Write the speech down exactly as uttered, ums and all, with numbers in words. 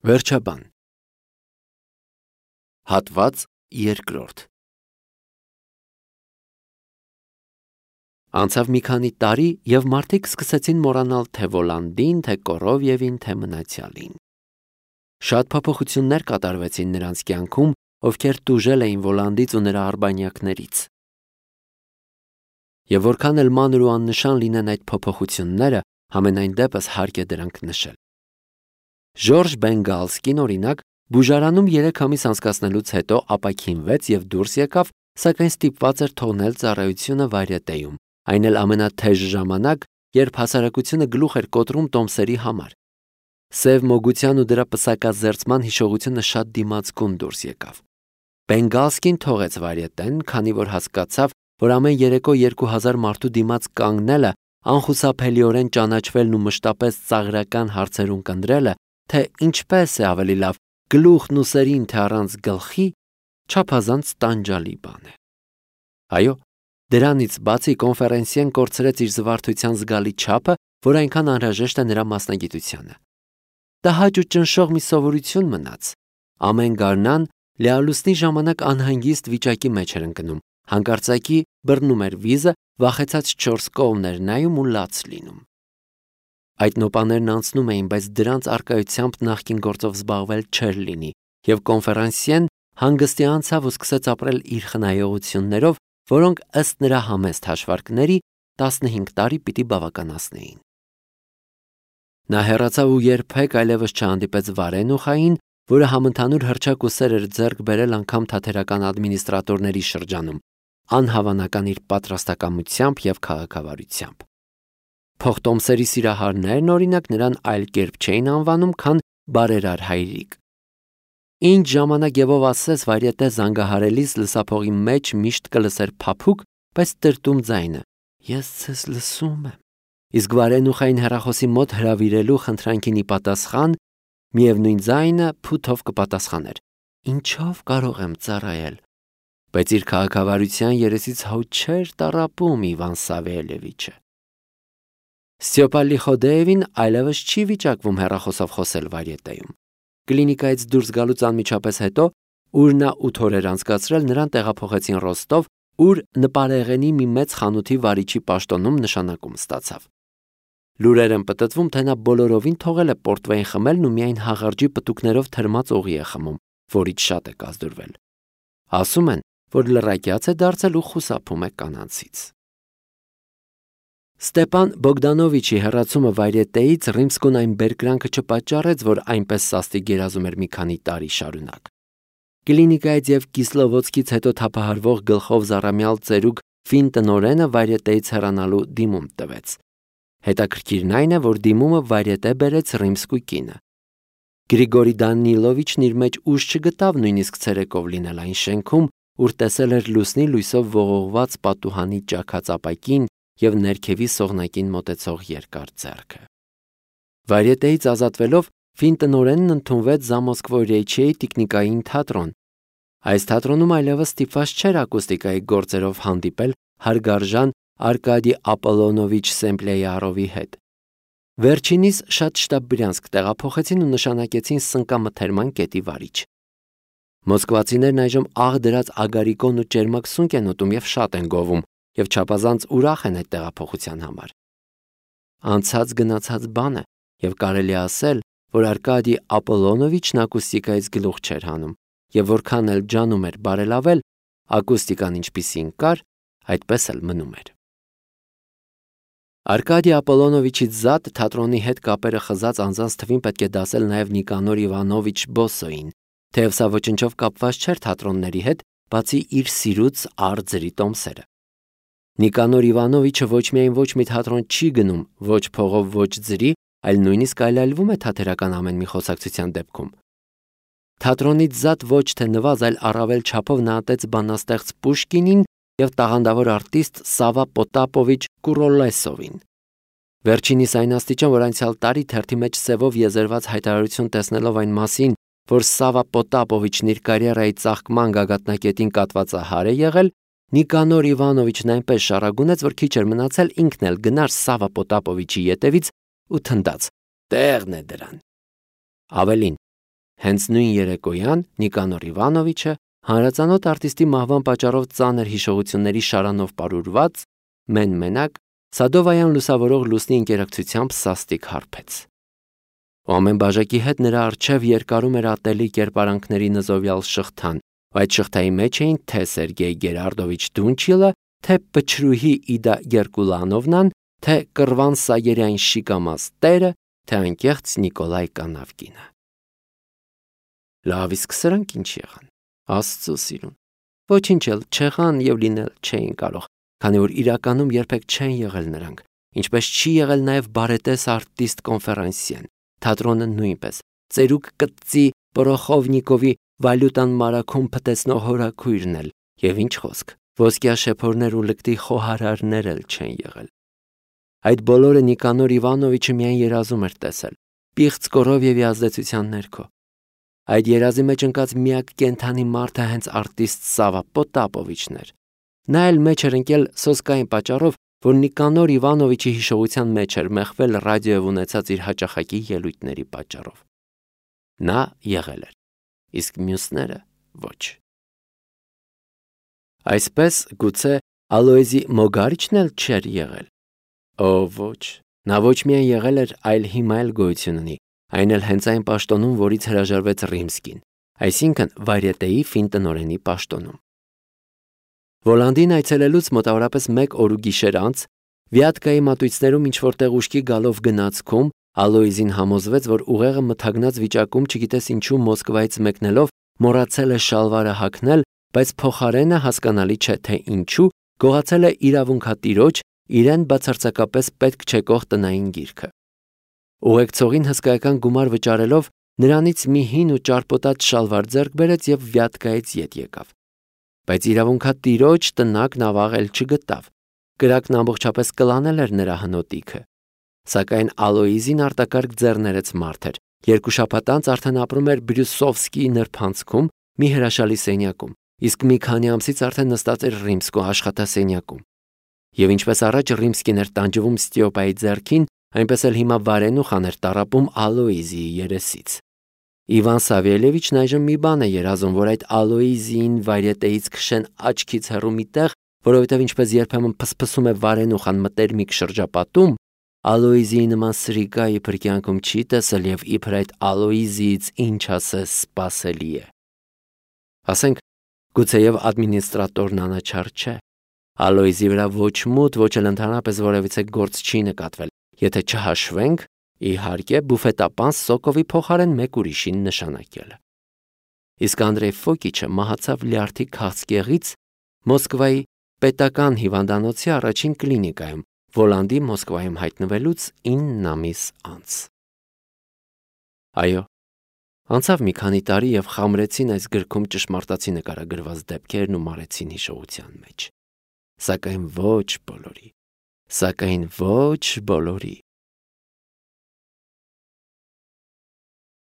Վերջաբան Հատված երկրորդ Անցավ մի քանի տարի, և մարդիկ սկսեցին մոռանալ թե Վոլանդին, թե Կորովևին, թե մնացյալին։ Շատ փոփոխություններ կատարվեցին նրանց կյանքում, ովքեր տուժել էին Վոլանդից ու նրա արբանյակներից։ Եվ որքան էլ մանր ու աննշան լինեն այդ փոփոխությունները, համենայն դեպս հարկ է դրանք նշել։ Ժորժ Բենգալսկին, օրինակ, բուժարանում երեք ամիս անցկացնելուց հետո ապաքինվեց և դուրս եկավ, սակայն ստիպված էր թողնել ծառայությունը Վարյետեում, այն էլ ամենաթեժ ժամանակ, երբ հասարակությունը գլուխ էր կոտրում տոմսերի համար։ Սև մոգության ու դրա պսակազերծման հիշողությունը շատ դիմացկուն դուրս եկավ։ Բենգալսկին թողեց Վարյետեն, քանի որ հասկացավ, որ ամեն երեկո երկու հազար մարդու դիմաց կանգնելը, անխուսափելիորեն ճանաչվելն ու մշտապես ծաղրական հարցերում կնդրելը, թե ինչպես է ավելի լավ գլուխն ու սերին, թե առանց գլխի, չափազանց տանջալի բան է։ Այո, դրանից բացի կոնֆերենսիեն կորցրեց իր զվարթության զգալի չափը, որ այնքան անհրաժեշտ է նրա մասնագիտությանը։ Տհաճ ու ճնշող մի սովորություն մնաց։ Ամեն գարնան լեալուսնի ժամանակ անհանգիստ վիճակի մեջ էր ընկնում, հանկարծակի բռնում էր վիզը, վախեցած չորս կողմներ նայում ու լաց լինում։ Այդ նոպաներն անցնում էին, բայց դրանց առկայությամբ նախկին գործով զբաղվել չէր լինի, և կոնֆերանսիեն հանգստի անցավ ու սկսեց ապրել իր խնայողություններով, որոնք ըստ նրա համեստ հաշվարկների տասնհինգ տարի պիտի բավականացնեին։ Նա հեռացավ ու երբեք այլևս չհանդիպեց Վարենուխային, որը համընդհանուր հռչակ ու սեր էր ձեռք բերել անգամ թատերական ադմինիստրատորների շրջանում, անհավանական իր պատրաստակամությամբ և քաղաքավարությամբ։ Փոխտոմսերի սիրահարներն, օրինակ, նրան այլ կերպ չէին անվանում, քան բարերար հայրիկ։ Ինչ ժամանակ եւ ով ասես Վարյետե զանգահարելիս լսափողի մեջ միշտ կլսեր փափուկ, բայց տրտում ձայնը. «Ես ձեզ լսում եմ»։ Իսկ Վարենուխային հեռախոսի մոտ հրավիրելու խնդրանքին ի պատասխան միևնույն ձայնը փութով կպատասխաներ. «Ինչով կարող եմ ծառայել»։ Բայց իր քաղաքավարության երեսից հոտ չէր տառապում Իվան Սավելևիչը։ Ստյոպա Լիխոդեևին այլևս չի վիճակվում հեռախոսով խոսել Վարյետեում։ Կլինիկայից դուրս գալուց անմիջապես հետո, ուր նա ութ օր էր անցկացրել, նրան տեղափոխեցին Ռոստով, ուր նպարեղենի մի մեծ խանութի վարիչի պաշտոնում նշանակում ստացավ։ Լուրեր են պտտվում, թե նա բոլորովին թողել է պորտվեին խմելն ու միայն հաղարջի պտուկներով թրմած օղի է խմում, որից շատ է կազդուրվել։ Ասում են, որ լռակյաց է դարձել ու խուսափում է կանանցից։ Ստեպան Բոգդանովիչի հեռացումը Վարյետեից Ռիմսկուն այն բերկրանքը չպատճառեց, որ այնպես սաստիկ գերազում էր մի քանի տարի շարունակ։ Կլինիկայից և Կիսլովոցկից հետո թափահարվող գլխով զառամյալ ծերուկ ֆին տնօրենը Վարյետեից հեռանալու դիմում տվեց։ Հետաքրքիրն այն է, որ դիմումը Վարյետե բերեց Ռիմսկու կինը։ Գրիգորի Դանիլովիչն իր մեջ ուժ չգտավ նույնիսկ ցերեկով լինել այն շենքում, ուր տեսել էր լուսնի լույսով ողողված պատուհանի ճաքած ապակին և ներքևի սողնակին մոտեցող երկար ձեռքը։ Վարյետեից ազատվելով ֆին տնօրենն ընդունվեց Զամոսկվոյեչիեի տիկնիկային թատրոն։ Այս թատրոնում այլևս ստիպված չէր ակուստիկայի գործերով հանդիպել հարգարժան Արկադի Ապոլոնովիչ Սեմպլեյարովի հետ։ Վերջինիս շատ շտապ Բրյանսկ տեղափոխեցին ու նշանակեցին սնկամթերման կետի վարիչ։ Մոսկվացիներն այժմ աղ դրած ագարիկոն ու ճերմակ սունկ են ուտում և շատ են գովում, և չափազանց ուրախ են այդ տեղափոխության համար։ Անցած գնացած բան է, և կարելի է ասել, որ Արկադի Ապոլոնովիչն ակուստիկայից գլուխ չէր հանում, և որքան էլ ջանում էր բարելավել, ակուստիկան ինչպիսին կար, այդպես էլ մնում էր։ Արկադի Ապոլոնովիչից զատ թատրոնի հետ կապերը խզած անձանց թվին պետք է դասել նաև Նիկանոր Իվանովիչ Բոսոին, թեև սա ոչնչով կապված չէր թատրոնների հետ, բացի իր սիրուց արձրի տոմսերը։ Նիկանոր Իվանովիչը ոչ միայն ոչ մի թատրոն չի գնում, ոչ փողով, ոչ ձրի, այլ նույնիսկ այլայլվում է թատերական ամեն մի խոսակցության դեպքում։ Թատրոնից զատ ոչ թե նվազ, այլ առավել չափով նա ատեց բանաստեղծ Պուշկինին և տաղանդավոր արտիստ Սավա Պոտապովիչ Կուրոլեսովին։ Վերջինիս այն աստիճան, որ անցյալ տարի թերթի մեջ սևով եզերված հայտարարություն տեսնելով այն մասին, որ Սավա Պոտապովիչն իր կարիերայի ծաղկման գագաթնակետին կատվածահար է եղել, Նիկանոր Իվանովիչն այնպես շառագունեց, որ քիչ էր մնացել ինքն էլ գնար Սավա Պոտապովիչի ետևից ու թնդաց. «Տեղն է դրան»։ Ավելին, Հենց նույն երեկոյան Նիկանոր Իվանովիչը հանրածանոթ արտիստի մահվան պատճառով ծանր հիշողությունների շարանով պարուրված մեն-մենակ Սադովայան լուսավորող լուսնի ինտերակցիությամբ սաստիկ հարբեց։ Ու ամեն բաժակի հետ նրա առջև երկարում էր ատելի կերպարանքների նզովյալ շղթան, ու այդ շղթայի մեջ էին թե Սերգեյ Գերարդովիչ Դունչիլը, թե Պչրուհի Իդա Գերկուլանովնան, թե Կռվան Սայերյան Շիկամաս տերը, թե անկեղծ Նիկոլայ Կանավկինը։ Լավ, իսկ սրանք ինչ եղան։ Աստծո սիրուն։ Ոչինչ էլ չեղան եւ լինել չէին կարող, քանի որ իրականում երբեք չեն եղել նրանք, ինչպես չի եղել նաեւ բարետես արտիստ կոնֆերանսիեն, թատրոնը նույնպես, ծերուկ կծի Պորոխովնիկովի վալյուտան մարաքում փտեցնող հորաքույրն էլ, եւ ինչ խոսք, ոսկյա շեփորներ ու լկտի խոհարարներ էլ չեն եղել։ Այդ բոլորը Նիկանոր Իվանովիչը միայն երազում էր տեսել, պիղծ Կորովյևի ազդեցության ներքո։ Այդ երազի մեջ ընկած միակ կենթանի մարդը հենց արտիստ Սավա Պոտապովիչն էր։ Նա էլ մեջ էր ընկել սոսկային պատճառով, որ Նիկանոր Իվանովիչի հիշողության մեջ էր մեղվել ռադիոյով ունեցած իր հաճախակի ելույթների պատճառով։ Նա եղել էր, իսկ մյուսները ոչ։ Այսպես գուցե Ալոեզի Մոգարիչն էլ չէր եղել։ Օ ոչ, նա ոչ միայն եղել էր, այլ հիմա էլ գոյություն ունի, այն էլ հենց այն պաշտոնում, որից հրաժարվեց Ռիմսկին, այսինքն Վարյետեի ֆինտնօրենի պաշտոնում։ Վոլանդին այցելելուց մոտավորապես մեկ օր ու գիշեր անց Վիատկայի մատույցներում ինչ-որտեղ ուշքի գալով գնացքում Ալոեզին համոզվեց, որ ուղեղը մթագնած վիճակում չգիտես ինչու Մոսկվայից մեկնելով մոռացել է շալվարը հագնել, բայց փոխարենը հասկանալի չէ թե ինչու գողացել է իրավունքատիրոջ իրեն բացարձակապես պետք չեկող տնային գիրքը։ Ուղեկցողին հսկայական գումար վճարելով նրանից մի հին ու ճարպոտած շալվար ձեռք բերեց եւ Վիատկայից ետ եկավ։ Բայց իրավունքատիրոջ տնակն ավաղել չգտավ։ Կրակն ամբողջապես կլանել էր նրա հնոտիքը։ Սակայն Ալոեզին արտակարգ ձեռներեց մարդ էր։ Երկու շաբաթ անց արդեն ապրում էր Բրյուսովսկիի նրբանցքում մի հրաշալի սենյակում, իսկ մի քանի ամսից արդեն նստած էր Ռիմսկու աշխատասենյակում։ Եվ ինչպես առաջ Ռիմսկին էր տանջվում Ստիոպայի ձեռքին, այնպես էլ հիմա վարենուխան էր տառապում Ալոեզիի երեսից։ Իվան Սավելևիչն այժմ մի բան է երազում, որ այդ Ալոեզիին Վարյետեից քշեն աչքից հեռու մի տեղ, որովհետև ինչպես երբեմն փսփսում է վարենուխան մտերմիկ շրջապատում, Ալոեզիի նման սրիկա իբր կյանքում չի տեսել եւ իբր այդ Ալոեզիից ինչ ասես սпасելի է։ Ասենք, գուցեև ադմինիստրատորն անաչառ չէ։ Ալոեզի վրա ոչ մութ, ոչ էլ ընդհանրապես որևիցե գործ չի նկատվել, եթե չհաշվենք, իհարկե, բուֆետապան Սոկովի փոխարեն մեկ ուրիշին նշանակելը։ Իսկ Անդրեյ Ֆոկիչը մահացավ լյարդի քաղցկեղից Մոսկվայի պետական հիվանդանոցի առաջին կլինիկայում, Վոլանդի Մոսկվայում հայտնվելուց ինը ամիս անց։ Այո, անցավ մի քանի տարի եւ խամրեցին այս գրքում ճշմարտացի նկարագրված դեպքերն ու մարեցին հիշողության մեջ։ Սակայն ոչ բոլորի, սակայն ոչ բոլորի։